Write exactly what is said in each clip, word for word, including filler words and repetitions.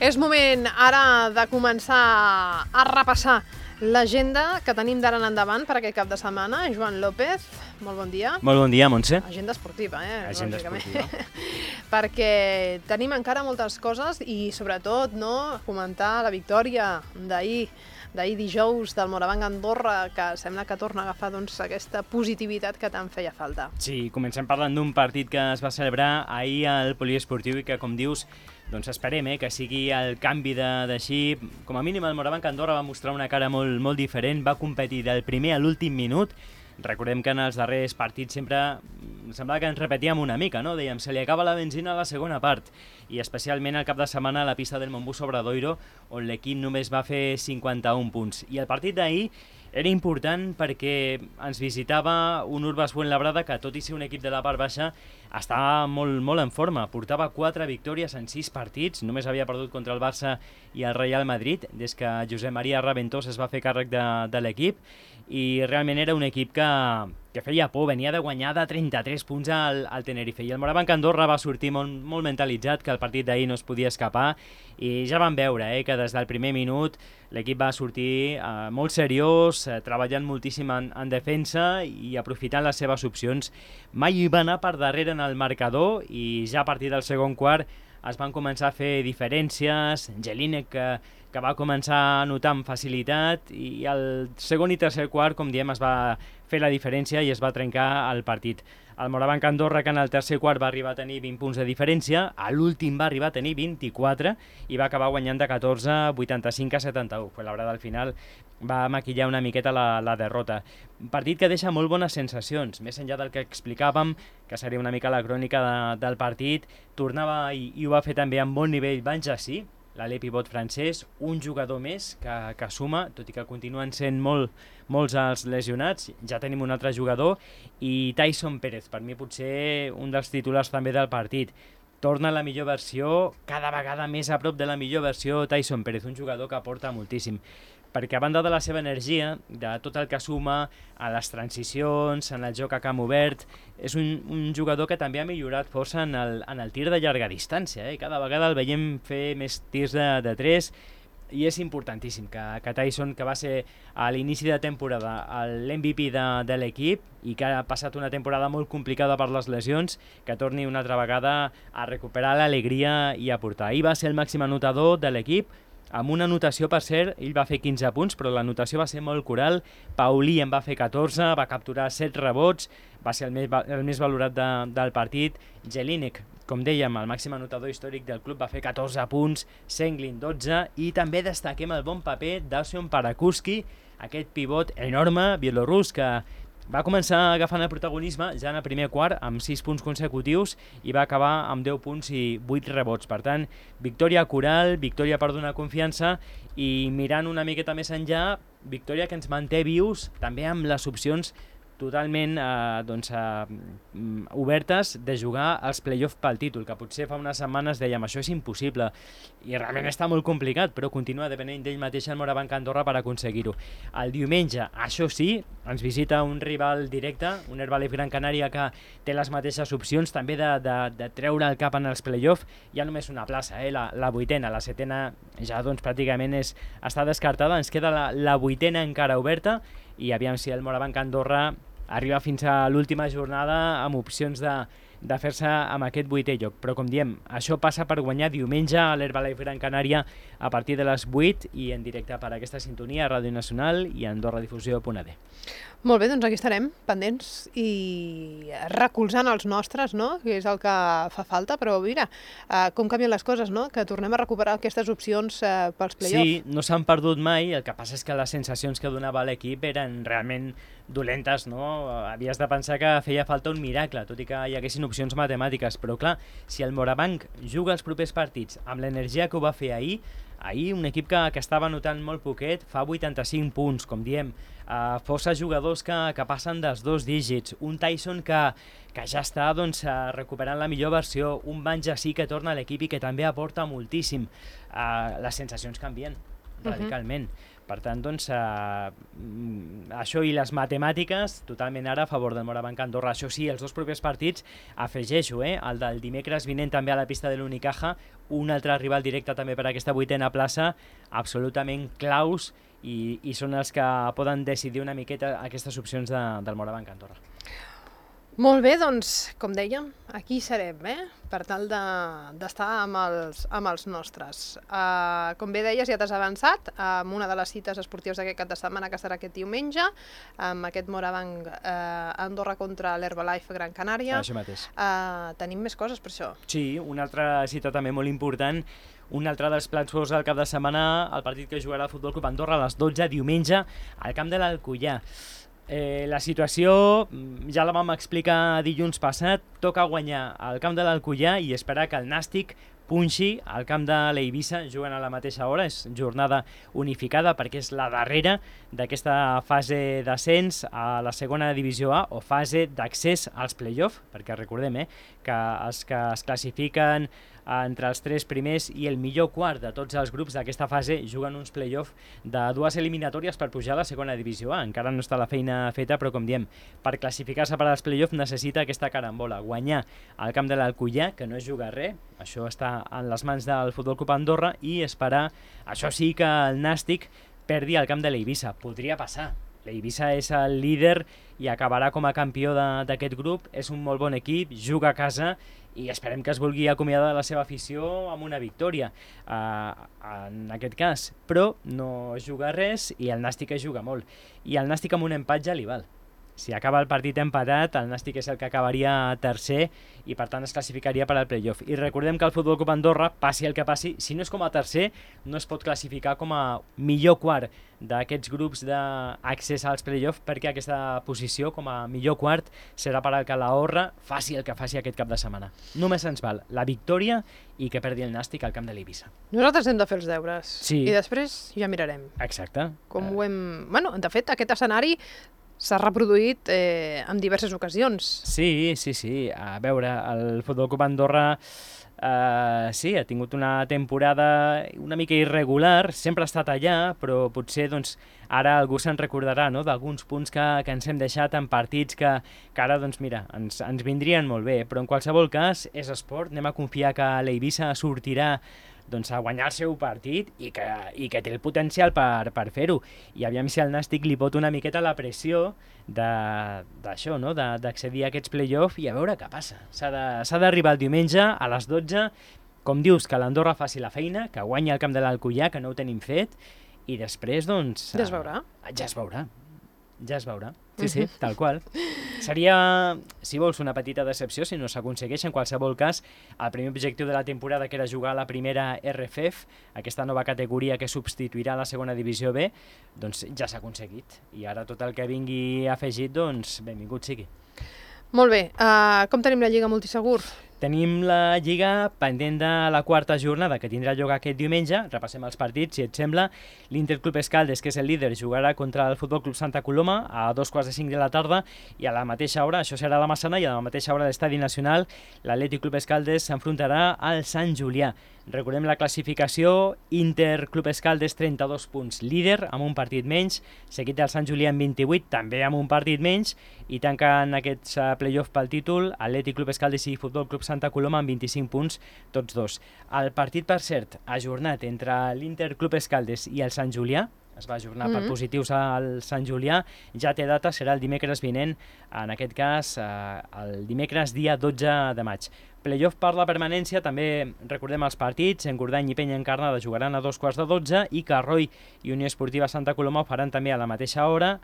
És moment ara de començar a repassar l'agenda que tenim d'ara en endavant per aquest cap de setmana. Joan López, molt bon dia. Molt bon dia, Montse. Agenda esportiva, eh? Agenda esportiva. Perquè tenim encara moltes coses i, sobretot, no, comentar la victòria d'ahir, d'ahir dijous del Morabanc Andorra, que sembla que torna a agafar doncs, aquesta positivitat que tant feia falta. Sí, comencem parlant d'un partit que es va celebrar ahir al poliesportiu i que, com dius, doncs esperem eh, que sigui el canvi de xip. Com a mínim el Morabanc Andorra va mostrar una cara molt, molt diferent, va competir del primer a l'últim minut. Recordem que en els darrers partits sempre semblava que ens repetíem una mica, no? Dèiem, se li acaba la benzina a la segona part, i especialment al cap de setmana a la pista del Montbus Obradoiro, on l'equip només va fer cinquanta-un punts. I el partit d'ahir era important perquè ens visitava un Urbas Fuenlabrada que, tot i ser un equip de la part baixa, estava molt, molt en forma. Portava quatre victòries en sis partits, només havia perdut contra el Barça i el Real Madrid des que Josep Maria Raventós es va fer càrrec de, de l'equip, i realment era un equip que, que feia por, venia de guanyar de trenta-tres punts al, al Tenerife, i el Morabanc Andorra va sortir molt, molt mentalitzat que el partit d'ahir no es podia escapar, i ja vam veure eh, que des del primer minut l'equip va sortir eh, molt seriós, eh, treballant moltíssim en, en defensa i aprofitant les seves opcions. Mai va anar per darrere en el marcador, i ja a partir del segon quart es van començar a fer diferències. Jelinek, que, que va començar a notar amb facilitat, i al segon i tercer quart, com diem, es va fer la diferència i es va trencar el partit. El Morabanc Andorra, que en el tercer quart va arribar a tenir vint punts de diferència, a l'últim va arribar a tenir vint-i-quatre i va acabar guanyant de catorze, vuitanta-cinc a setanta-u. Fuenlabrada al final va maquillar una miqueta la, la derrota. Un partit que deixa molt bones sensacions, més enllà del que explicàvem, que seria una mica la crònica de, del partit. Tornava, i, i ho va fer també amb bon nivell, Banjassi, l'alè pivot francès, un jugador més que, que suma, tot i que continuen sent molt, molts els lesionats. Ja tenim un altre jugador, i Tyson Pérez, per mi potser un dels titulars també del partit. Torna a la millor versió, cada vegada més a prop de la millor versió, Tyson Pérez, un jugador que aporta moltíssim, perquè a banda de la seva energia, de tot el que suma a les transicions, en el joc a camp obert, és un, un jugador que també ha millorat força en el, en el tir de llarga distància. Eh? Cada vegada el veiem fer més tirs de, de tres, i és importantíssim que, que Tyson, que va ser a l'inici de temporada l'M V P de, de l'equip i que ha passat una temporada molt complicada per les lesions, que torni una altra vegada a recuperar l'alegria i a portar. Ahir va ser el màxim anotador de l'equip, amb una anotació, per cert, ell va fer quinze punts, però l'anotació va ser molt coral. Paulí en va fer catorze, va capturar set rebots, va ser el més, el més valorat de, del partit. Jelinek, com dèiem, el màxim anotador històric del club, va fer catorze punts, Senglin dotze, i també destaquem el bon paper d'Ausion Parakuski, aquest pivot enorme bielorrus que va començar agafant el protagonisme ja en el primer quart amb sis punts consecutius i va acabar amb deu punts i vuit rebots. Per tant, victòria coral, victòria per donar confiança, i mirant una miqueta més enllà, victòria que ens manté vius també amb les opcions totalment eh, doncs, eh, obertes de jugar als play-off pel títol, que potser fa unes setmanes dèiem això és impossible, i realment està molt complicat, però continua depenent d'ell mateix el Morabanc Andorra per aconseguir-ho. El diumenge, això sí, ens visita un rival directe, un Herbalife Gran Canària que té les mateixes opcions també de, de, de treure el cap en els play-off. Hi ha només una plaça, eh? la, la vuitena, la setena ja doncs, pràcticament és, està descartada, ens queda la, la vuitena encara oberta, i aviam si el Morabanc Andorra arriba fins a l'última jornada amb opcions de, de fer-se amb aquest vuitè lloc. Però, com diem, això passa per guanyar diumenge a l'Herbalife Gran Canària a partir de les vuit i en directe per aquesta sintonia a Ràdio Nacional i a Andorra Difusió punt a d. Molt bé, doncs aquí estarem, pendents i recolzant els nostres, no? Que és el que fa falta, però mira, eh, com canvien les coses, no? Que tornem a recuperar aquestes opcions eh, pels play-off. Sí, no s'han perdut mai, el que passa és que les sensacions que donava l'equip eren realment dolentes, no? Havies de pensar que feia falta un miracle, tot i que hi haguessin opcions matemàtiques, però clar, si el Morabanc juga els propers partits amb l'energia que ho va fer ahir, ahir un equip que, que estava notant molt poquet, fa vuitanta-cinc punts, com diem, Uh, força jugadors que, que passen dels dos dígits, un Tyson que, que ja està doncs, uh, recuperant la millor versió, un Banjassi que torna a l'equip i que també aporta moltíssim. Uh, les sensacions canvien. radicalment. Uh-huh. Per tant, doncs, eh, això i les matemàtiques, totalment ara a favor del Morabanc Andorra. Això sí, els dos propers partits, afegeixo, eh, el del dimecres vinent també a la pista de l'Unicaja, un altre rival directe també per aquesta vuitena plaça, absolutament claus, i, i són els que poden decidir una miqueta aquestes opcions de, del Morabanc Andorra. Molt bé, doncs, com dèiem, aquí serem, eh? Per tal d'estar de, amb, els, amb els nostres. Uh, com bé deies, ja t'has avançat amb una de les cites esportives d'aquest cap de setmana, que serà aquest diumenge, amb aquest Morabanc uh, Andorra contra l'Herbalife Gran Canària. Això mateix. Uh, tenim més coses per això. Sí, una altra cita també molt important, un altre dels plats forts del cap de setmana, el partit que jugarà el Futbol Club Andorra a les dotze, diumenge, al camp de l'Alcoià. Eh, la situació ja la vam explicar dilluns passat, toca guanyar al camp de l'Alcoià i esperar que el Nàstic punxi al camp de l'Eivissa, juguen a la mateixa hora, és jornada unificada perquè és la darrera d'aquesta fase d'ascens a la segona divisió A o fase d'accés als play-off, perquè recordem eh, que els que es classifiquen entre els tres primers i el millor quart de tots els grups d'aquesta fase juguen uns play-off de dues eliminatòries per pujar a la segona divisió A. Encara no està la feina feta, però com diem, per classificar-se per als play-off necessita aquesta carambola, guanyar al camp de l'Alcoià, que no és jugar res, això està en les mans del Futbol Club Andorra, i esperar, això sí, que el Nàstic perdi al camp de l'Eivissa. Podria passar. L'Eivissa és el líder i acabarà com a campió d'aquest grup, és un molt bon equip, juga a casa i esperem que es vulgui acomiadar de la seva afició amb una victòria, uh, en aquest cas. Però no juga res i el Nàstic es juga molt. I el Nàstic amb un empat ja li val. Si acaba el partit empatat, el Nàstic és el que acabaria tercer i per tant es classificaria per al play-off. I recordem que el Futbol Club Andorra, passi el que passi, si no és com a tercer, no es pot classificar com a millor quart d'aquests grups d'accés als play-off, perquè aquesta posició com a millor quart serà per al Calahorra, faci el que faci aquest cap de setmana. Només ens val la victòria i que perdi el Nàstic al camp de l'Eivissa. Nosaltres hem de fer els deures sí. I després ja mirarem. Exacte. Com uh... ho hem... Bueno, de fet, aquest escenari s'ha reproduït eh, en diverses ocasions. Sí, sí, sí. A veure, el Futbol Club Andorra eh, sí, ha tingut una temporada una mica irregular, sempre ha estat allà, però potser doncs, ara algú se'n recordarà no? D'alguns punts que, que ens hem deixat en partits que, que ara doncs, mira, ens, ens vindrien molt bé. Però en qualsevol cas, és esport, anem a confiar que l'Eivissa sortirà doncs, a guanyar el seu partit i que, i que té el potencial per, per fer-ho. I aviam si el Nàstic li pot una miqueta la pressió d'això, no? d'accedir a aquests play-off i a veure què passa. S'ha d'arribar el diumenge a les dotze, com dius, que l'Andorra faci la feina, que guanyi el camp de l'Alcoià, que no ho tenim fet, i després, doncs... Ja es veurà. Ja es veurà. Ja es veurà. Sí, sí, tal qual. Seria, si vols, una petita decepció si no s'aconsegueix. En qualsevol cas, el primer objectiu de la temporada, que era jugar a la primera R F F, aquesta nova categoria que substituirà la segona divisió B, doncs ja s'ha aconseguit. I ara tot el que vingui afegit, doncs benvingut sigui. Molt bé. Uh, com tenim la Lliga Multisegur? Tenim la Lliga pendent de la quarta jornada, que tindrà lloc aquest diumenge. Repassem els partits, si et sembla. L'Inter Club Escaldes, que és el líder, jugarà contra el Futbol Club Santa Coloma a dos quarts de cinc de la tarda, i a la mateixa hora, això serà a la Massana, i a la mateixa hora a l'Estadi Nacional, l'Atlètic Club Escaldes s'enfrontarà al Sant Julià. Recordem la classificació: Inter Club Escaldes trenta-dos punts, líder, amb un partit menys, seguit del Sant Julià amb vint-i-vuit, també amb un partit menys, i tanquen aquests uh, play-off pel títol Atlètic Club Escaldes i Futbol Club Santa Coloma amb vint-i-cinc punts, tots dos. El partit, per cert, ajornat entre l'Inter Club Escaldes i el Sant Julià, es va ajornar mm-hmm. per positius al Sant Julià, ja té data, serà el dimecres vinent, en aquest cas eh, el dimecres dia dotze de maig. Playoff per la permanència, també recordem els partits, Engordany i Penya Encarnada jugaran a dos quarts de dotze i Carroi i Unió Esportiva Santa Coloma ho faran també a la mateixa hora,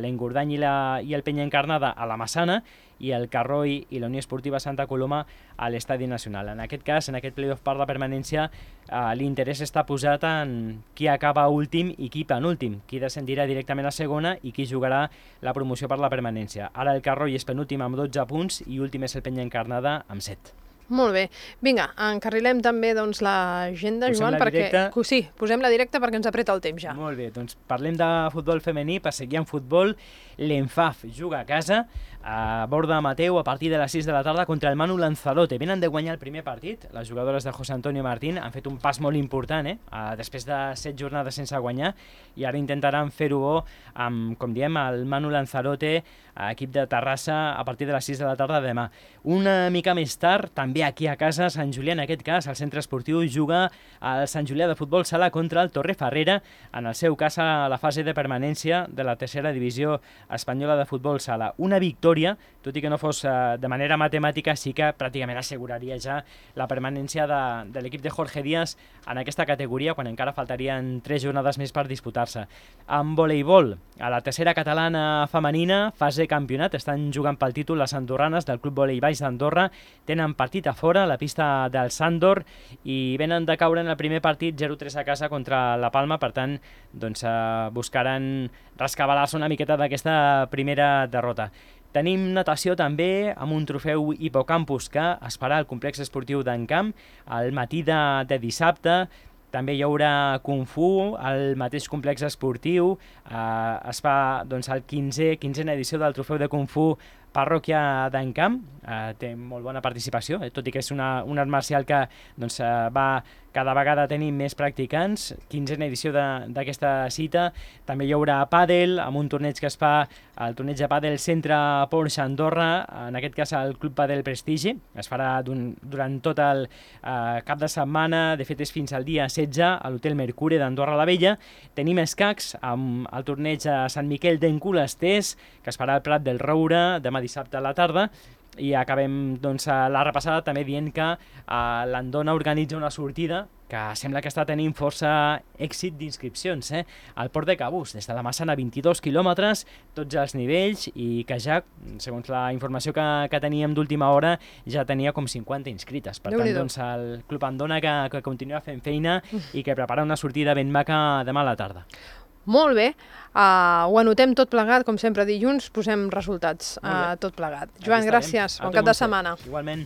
l'Engordany i, la, i el Penya Encarnada a la Massana i el Carroi i la Unió Esportiva Santa Coloma a l'Estadi Nacional. En aquest cas, en aquest playoff per la permanència, eh, l'interès està posat en qui acaba últim i qui penúltim, qui descendirà directament a segona i qui jugarà la promoció per la permanència. Ara el Carroi és penúltim amb dotze punts i últim és el Penya Encarnada amb set. Molt bé. Vinga, encarrilem també doncs, l'agenda, Joan, perquè... Directa. Sí, posem-la directa perquè ens apreta el temps ja. Molt bé, doncs parlem de futbol femení, per seguir en futbol. L'Enfaf juga a casa a Borda Mateu a partir de les sis de la tarda contra el Manu Lanzarote. Venen de guanyar el primer partit, les jugadores de José Antonio Martín han fet un pas molt important, eh? Uh, després de set jornades sense guanyar, i ara intentaran fer-ho bo amb, com diem, el Manu Lanzarote, equip de Terrassa, a partir de les sis de la tarda de demà. Una mica més tard, també aquí a casa, Sant Julià, en aquest cas, el centre esportiu juga el Sant Julià de Futbol Sala contra el Torrefarrera, en el seu cas a la fase de permanència de la tercera divisió espanyola de Futbol Sala. Una victòria, tot i que no fos uh, de manera matemàtica, sí que pràcticament asseguraria ja la permanència de, de l'equip de Jorge Díaz en aquesta categoria, quan encara faltarien tres jornades més per disputar-se. En voleibol, a la tercera catalana femenina, fase campionat, estan jugant pel títol les andorranes del Club Volei Baix d'Andorra, tenen partit a fora, a la pista del Sandor, i venen de caure en el primer partit zero tres a casa contra la Palma, per tant, doncs, eh, buscaran rescabalar-se una miqueta d'aquesta primera derrota. Tenim natació també amb un trofeu Hipocampus que es farà al complex esportiu d'Encamp al matí de, de dissabte. També hi haurà Kung Fu al mateix complex esportiu. Eh, es fa doncs, el quinzè, quinzena edició del trofeu de Kung Fu Parròquia d'Encamp. Eh, té molt bona participació, eh, tot i que és una, un art marcial que doncs, eh, va cada vegada tenir més practicants. Quinzena edició d'aquesta cita. També hi haurà pàdel, amb un torneig que es fa, el torneig de pàdel Centre Porsche Andorra, en aquest cas el Club Pàdel Prestigi. Es farà durant tot el eh, cap de setmana, de fet és fins al dia setze, a l'Hotel Mercure d'Andorra la Vella. Tenim escacs amb el torneig a Sant Miquel d'Encolasters, que es farà al Prat del Roure demà dissabte a la tarda. I acabem doncs, la repassada també dient que uh, l'Andona organitza una sortida que sembla que està tenint força èxit d'inscripcions, eh? Al Port de Cabús, des de la Massana, vint-i-dos quilòmetres, tots els nivells, i que ja, segons la informació que, que teníem d'última hora, ja tenia com cinquanta inscrites. Per tant, doncs, el Club Andona que, que continua fent feina i que prepara una sortida ben maca demà a la tarda. Molt bé, uh, ho anotem tot plegat, com sempre dilluns posem resultats uh, tot plegat. Joan, gràcies, bon cap de setmana. Igualment.